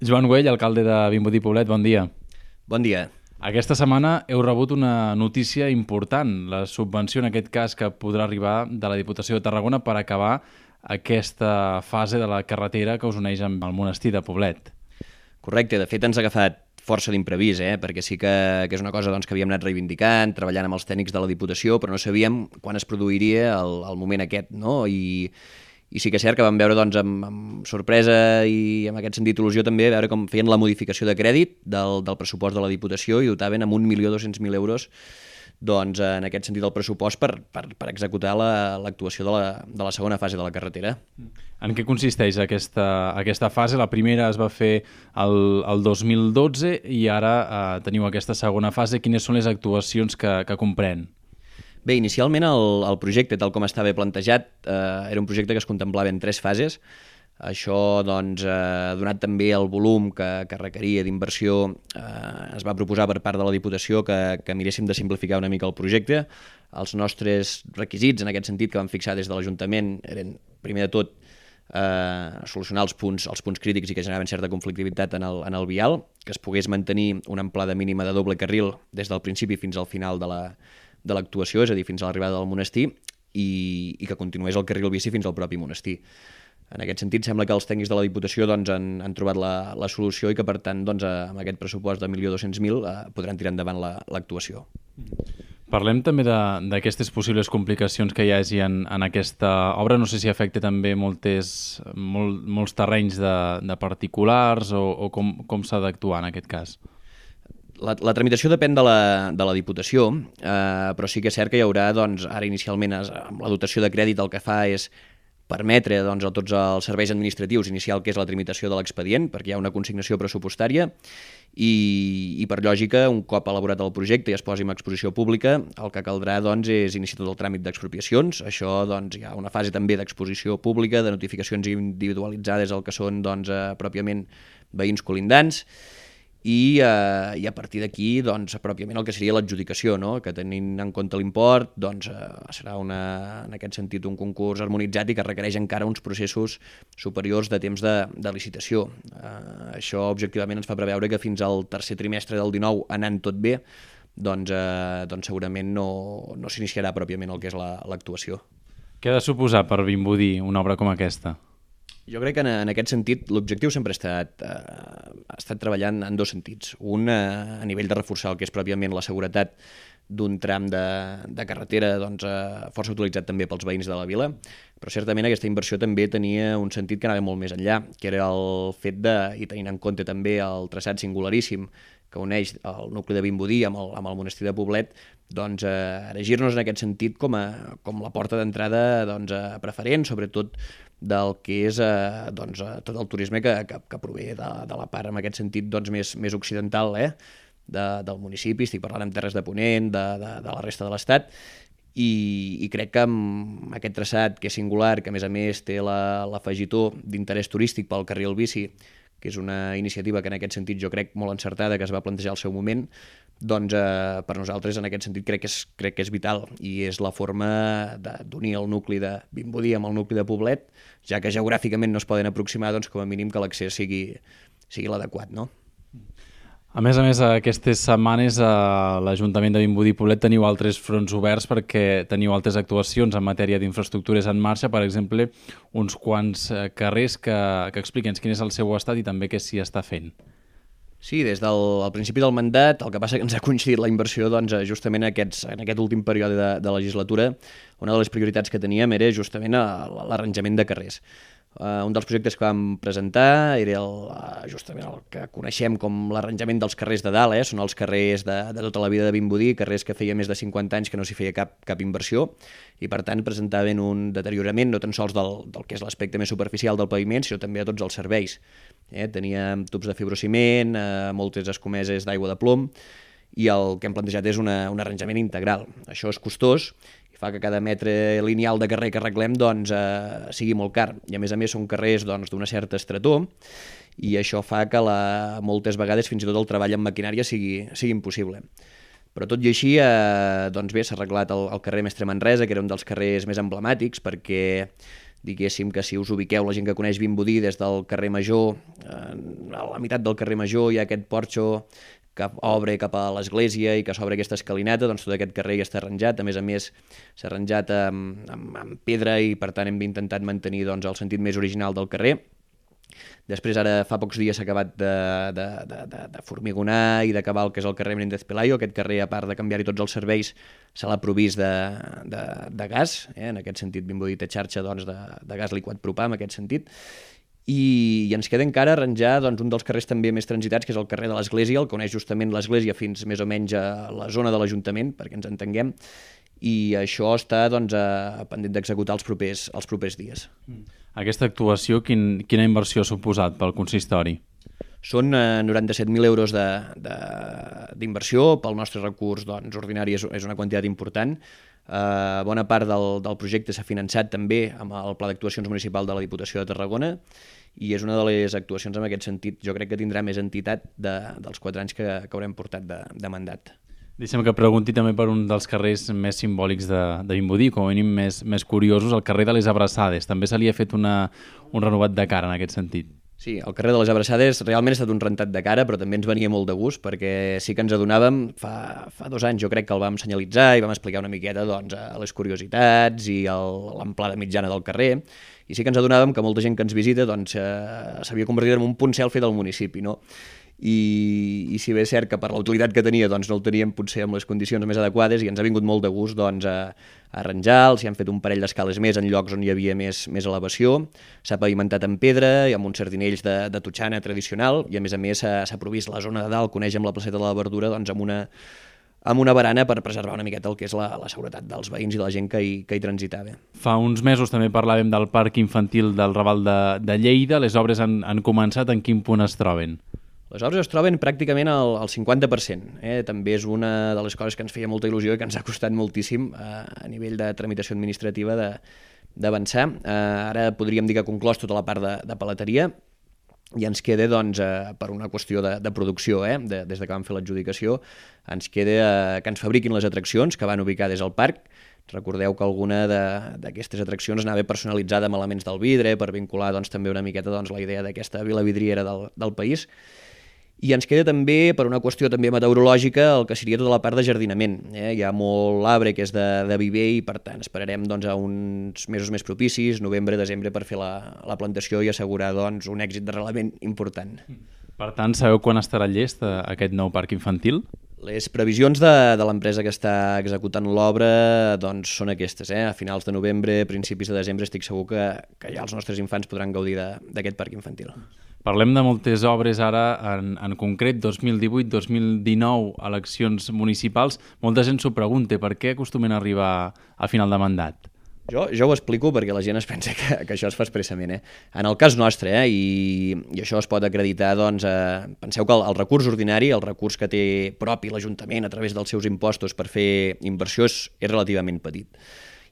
Joan Güell, alcalde de Vimbodí Poblet, bon dia. Bon dia. Aquesta setmana heu rebut una notícia important, la subvenció en aquest cas que podrà arribar de la Diputació de Tarragona per acabar aquesta fase de la carretera que us uneix amb el monestir de Poblet. Correcte, de fet ens ha agafat força d'imprevist, perquè sí que és una cosa doncs, que havíem anat reivindicant, treballant amb els tècnics de la Diputació, però no sabíem quan es produiria el moment aquest, no? I sí que és cert que vam veure doncs, amb sorpresa i en aquest sentit il·lusió també veure com feien la modificació de crèdit del pressupost de la Diputació i dotaven amb 1.200.000 euros doncs, en aquest sentit el pressupost per executar l'actuació de la segona fase de la carretera. En què consisteix aquesta fase? La primera es va fer el 2012 i ara teniu aquesta segona fase. Quines són les actuacions que comprèn? Bé, inicialment el projecte, tal com estava plantejat, era un projecte que es contemplava en 3 fases. Això, doncs, donat també el volum que requeria d'inversió, es va proposar per part de la Diputació que miréssim de simplificar una mica el projecte. Els nostres requisits, en aquest sentit, que vam fixar des de l'Ajuntament, eren, primer de tot, solucionar els punts crítics i que generaven certa conflictivitat en el vial, que es pogués mantenir una amplada mínima de doble carril des del principi fins al final de l'actuació, és a dir, fins a l'arribada del monestir, i que continués el carril bici fins al propi monestir. En aquest sentit, sembla que els tècnics de la Diputació doncs, han trobat la solució i que, per tant, doncs, amb aquest pressupost de 1.200.000 podran tirar endavant l'actuació. Parlem també d'aquestes possibles complicacions que hi hagi en aquesta obra. No sé si afecta també molts terrenys de particulars o com s'ha d'actuar en aquest cas. La tramitació depèn de la Diputació, però sí que és cert que hi haurà, doncs, ara inicialment, amb la dotació de crèdit el que fa és permetre doncs, a tots els serveis administratius iniciar el que és la tramitació de l'expedient, perquè hi ha una consignació pressupostària i per lògica, un cop elaborat el projecte i es posi en exposició pública, el que caldrà doncs, és iniciar tot el tràmit d'expropiacions. Això doncs, hi ha una fase també d'exposició pública, de notificacions individualitzades al que són doncs, pròpiament veïns colindants, i a partir d'aquí doncs, pròpiament el que seria l'adjudicació, no? Que tenint en compte l'import doncs, serà en aquest sentit un concurs harmonitzat i que requereix encara uns processos superiors de temps de licitació. Això objectivament ens fa preveure que fins al tercer trimestre del 19, anant tot bé, doncs segurament no s'iniciarà pròpiament el que és l'actuació. Què ha de suposar per Vimbodí una obra com aquesta? Jo crec que en aquest sentit l'objectiu sempre ha estat treballant en 2 sentits. Un, a nivell de reforçar el que és pròpiament la seguretat d'un tram de carretera doncs, força utilitzat també pels veïns de la vila, però certament aquesta inversió també tenia un sentit que anava molt més enllà, que era el fet i tenint en compte també el traçat singularíssim que uneix el nucli de Vimbodí amb el monestir de Poblet, doncs erigir-nos en aquest sentit com la porta d'entrada doncs, preferent, sobretot del que és doncs, tot el turisme que prové de la part, en aquest sentit, doncs, més occidental del municipi. Estic parlant amb Terres de Ponent, de la resta de l'Estat, i crec que amb aquest traçat que és singular, que a més té l'afegitó d'interès turístic pel carril bici, que és una iniciativa que en aquest sentit jo crec molt encertada, que es va plantejar al seu moment, doncs per nosaltres en aquest sentit crec que és vital i és la forma d'unir el nucli de Vimbodí amb el nucli de Poblet, ja que geogràficament no es poden aproximar, doncs com a mínim que l'accés sigui l'adequat, no? A més, aquestes setmanes a l'Ajuntament de Vimbodí Poblet teniu altres fronts oberts perquè teniu altres actuacions en matèria d'infraestructures en marxa, per exemple, uns quants carrers que expliquin quin és el seu estat i també què s'hi està fent. Sí, des del principi del mandat, el que passa que ens ha coincidit la inversió doncs, justament en aquest últim període de legislatura. Una de les prioritats que teníem era justament l'arranjament de carrers. Un dels projectes que vam presentar era justament el que coneixem com l'arranjament dels carrers de dalt, són els carrers de tota la vida de Vimbodí, carrers que feia més de 50 anys que no s'hi feia cap inversió i per tant presentaven un deteriorament no tan sols del que és l'aspecte més superficial del paviment, sinó també a tots els serveis. Teníem tubs de fibrociment, moltes escomeses d'aigua de plom i el que hem plantejat és un arranjament integral. Això és costós, fa que cada metre lineal de carrer que arreglem doncs, sigui molt car. I a més són carrers d'una certa estretor i això fa que moltes vegades fins i tot el treball amb maquinària sigui impossible. Però tot i així, doncs bé, s'ha arreglat el carrer Mestre Manresa, que era un dels carrers més emblemàtics, perquè diguéssim que si us ubiqueu, la gent que coneix Vimbodí, des del carrer Major, a la meitat del carrer Major hi ha aquest porxo que obre cap a l'església i que s'obre aquesta escalinata, doncs tot aquest carrer ja està arranjat, a més s'ha arranjat amb pedra i per tant hem intentat mantenir doncs, el sentit més original del carrer. Després, ara fa pocs dies s'ha acabat de formigonar i d'acabar el que és el carrer Menéndez Pelayo. Aquest carrer, a part de canviar-hi tots els serveis, se l'ha provist de gas, en aquest sentit Vimbodí té xarxa doncs, de gas liquat propà, en aquest sentit, i ens queda encara arranjar doncs, un dels carrers també més transitats, que és el carrer de l'Església, el que uneix justament l'Església fins més o menys a la zona de l'Ajuntament, perquè ens entenguem, i això està doncs, pendent d'executar els propers dies. Aquesta actuació, quina inversió ha suposat pel consistori? Són 97.000 euros d'inversió, pel nostre recurs doncs, ordinari és una quantitat important. Bona part del projecte s'ha finançat també amb el Pla d'Actuacions Municipal de la Diputació de Tarragona i és una de les actuacions en aquest sentit. Jo crec que tindrà més entitat dels 4 anys que haurem portat de mandat. Deixa'm que pregunti també per un dels carrers més simbòlics de Vimbodí, com a mínim més curiosos, el carrer de les Abraçades. També se li ha fet un renovat de cara en aquest sentit. Sí, el carrer de les Abraçades realment ha estat un rentat de cara, però també ens venia molt de gust, perquè sí que ens adonàvem, fa 2 anys jo crec que el vam senyalitzar i vam explicar una miqueta doncs, les curiositats i l'amplada mitjana del carrer, i sí que ens adonàvem que molta gent que ens visita doncs, s'havia convertit en un punt selfie del municipi, no? I si bé és cert que per la utilitat que tenia doncs no el teníem potser amb les condicions més adequades i ens ha vingut molt de gust doncs, a arranjar-los, s'hi han fet un parell d'escales més en llocs on hi havia més elevació, s'ha pavimentat en pedra i amb uns sardinells de totxana tradicional i a més s'ha provist la zona de dalt, coneix amb la placeta de la Verdura, doncs, amb una barana per preservar una miqueta el que és la seguretat dels veïns i la gent que hi transitava. Fa uns mesos també parlàvem del Parc Infantil del Raval de Lleida. Les obres han començat. En quin punt es troben? Les obres es troben pràcticament al 50%. També és una de les coses que ens feia molta il·lusió i que ens ha costat moltíssim a nivell de tramitació administrativa d'avançar. Ara podríem dir que ha conclòs tota la part de paleteria i ens queda, doncs, per una qüestió de producció, des de que vam fer l'adjudicació, ens queda que ens fabriquin les atraccions que van ubicades al parc. Recordeu que alguna d'aquestes atraccions anava personalitzada amb elements del vidre per vincular doncs, també una miqueta doncs, la idea d'aquesta vila vidriera del país. I ens queda també, per una qüestió també meteorològica, el que seria tota la part de jardinament. Hi ha molt arbre que és de viver i, per tant, esperarem doncs, a uns mesos més propicis, novembre, desembre, per fer la plantació i assegurar doncs, un èxit d'arrelament important. Per tant, sabeu quan estarà llest aquest nou parc infantil? Les previsions de l'empresa que està executant l'obra doncs, són aquestes. A finals de novembre, principis de desembre, estic segur que ja els nostres infants podran gaudir d'aquest parc infantil. Parlem de moltes obres ara, en concret 2018-2019, eleccions municipals. Molta gent s'ho pregunta, per què acostumen a arribar a final de mandat? Jo ho explico perquè la gent es pensa que això es fa expressament. En el cas nostre, i això es pot acreditar, doncs, penseu que el recurs ordinari, el recurs que té propi l'Ajuntament a través dels seus impostos per fer inversió és relativament petit.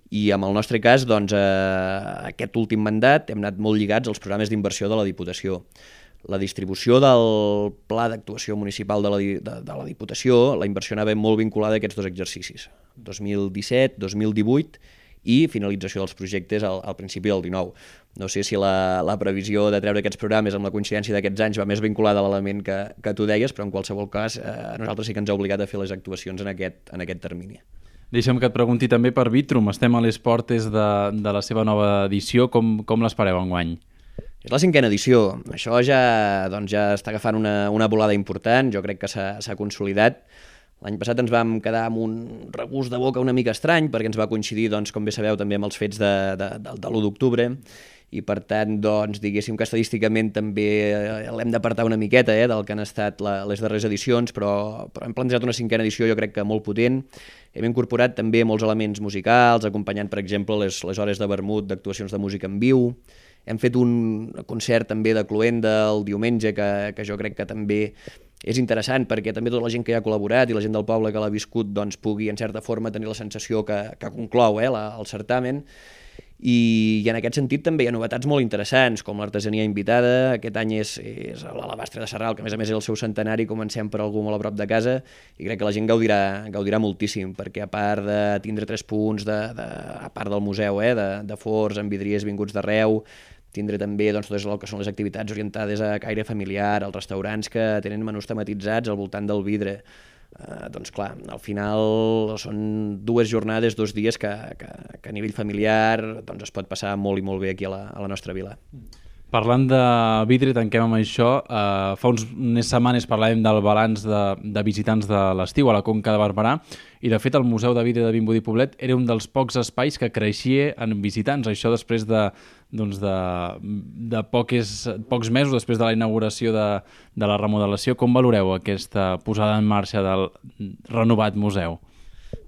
I en el nostre cas, doncs, aquest últim mandat hem anat molt lligats als programes d'inversió de la Diputació. La distribució del Pla d'Actuació Municipal de la Diputació, la inversió anava molt vinculada a aquests 2 exercicis, 2017, 2018 i finalització dels projectes al principi del 19. No sé si la previsió de treure aquests programes amb la coincidència d'aquests anys va més vinculada a l'element que tu deies, però en qualsevol cas a nosaltres sí que ens ha obligat a fer les actuacions en aquest termini. Deixa'm que et pregunti també per Vitrum. Estem a les portes de la seva nova edició. Com l'espereu enguany? És la 5a edició. Això ja està agafant una volada important. Jo crec que s'ha consolidat. L'any passat ens vam quedar amb un regust de boca una mica estrany perquè ens va coincidir, doncs, com bé sabeu, també amb els fets de l'1 d'octubre i per tant, doncs, diguéssim que estadísticament també l'hem d'apartar una miqueta del que han estat les darreres edicions, però hem plantejat una 5a edició jo crec que molt potent. Hem incorporat també molts elements musicals, acompanyant, per exemple, les hores de vermut d'actuacions de música en viu. Hem fet un concert també de cloenda el diumenge que jo crec que també és interessant perquè també tota la gent que hi ha col·laborat i la gent del poble que l'ha viscut doncs, pugui, en certa forma, tenir la sensació que conclou el certamen. I en aquest sentit també hi ha novetats molt interessants, com l'artesania invitada. Aquest any és l'alabastre de Sarral, que a més és el seu centenari, comencem per algú molt a prop de casa, i crec que la gent gaudirà moltíssim, perquè a part de tindre 3 punts, a part del museu, de forns, amb vidriers vinguts d'arreu, tindre també totes el que són les activitats orientades a caire familiar, els restaurants que tenen menús tematitzats al voltant del vidre. Doncs clar, al final són 2 jornades, 2 dies que a nivell familiar es pot passar molt i molt bé aquí a la nostra vila. Parlant de vidre, tanquem amb això. Fa unes setmanes parlàvem del balanç de visitants de l'estiu a la Conca de Barberà, i de fet el Museu de Vidre de Vimbodí i Poblet era un dels pocs espais que creixia en visitants. Això després de pocs mesos després de la inauguració de la remodelació. Com valoreu aquesta posada en marxa del renovat museu?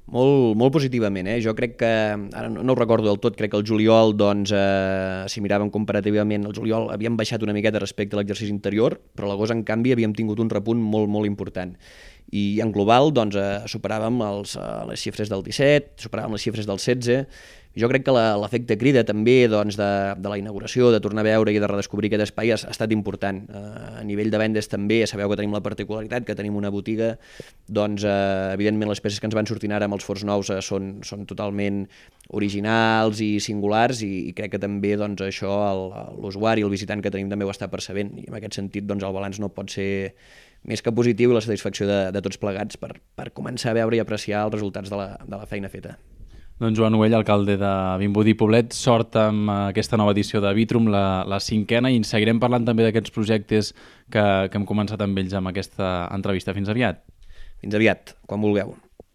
Molt positivament, Jo crec que, ara no ho recordo del tot, crec que el juliol, si miràvem comparativament, el juliol havíem baixat una miqueta respecte a l'exercici anterior, però a l'agost, en canvi, havíem tingut un repunt molt important. I en global, superàvem les xifres del 17, superàvem les xifres del 16. Jo crec que l'efecte crida també de la inauguració, de tornar a veure i de redescobrir aquest espai ha estat important. A nivell de vendes també, sabeu que tenim la particularitat, que tenim una botiga, evidentment les peces que ens van sortint ara amb els forns nous són totalment originals i singulars, i crec que també això l'usuari, el visitant que tenim també ho està percebent, i en aquest sentit el balanç no pot ser més que positiu, i la satisfacció de tots plegats per començar a veure i apreciar els resultats de la feina feta. Doncs Joan Güell, alcalde de Vimbodí i Poblet, sort amb aquesta nova edició de Vitrum, la 5a, i en seguirem parlant també d'aquests projectes que hem començat amb ells amb aquesta entrevista. Fins aviat. Fins aviat, quan vulgueu.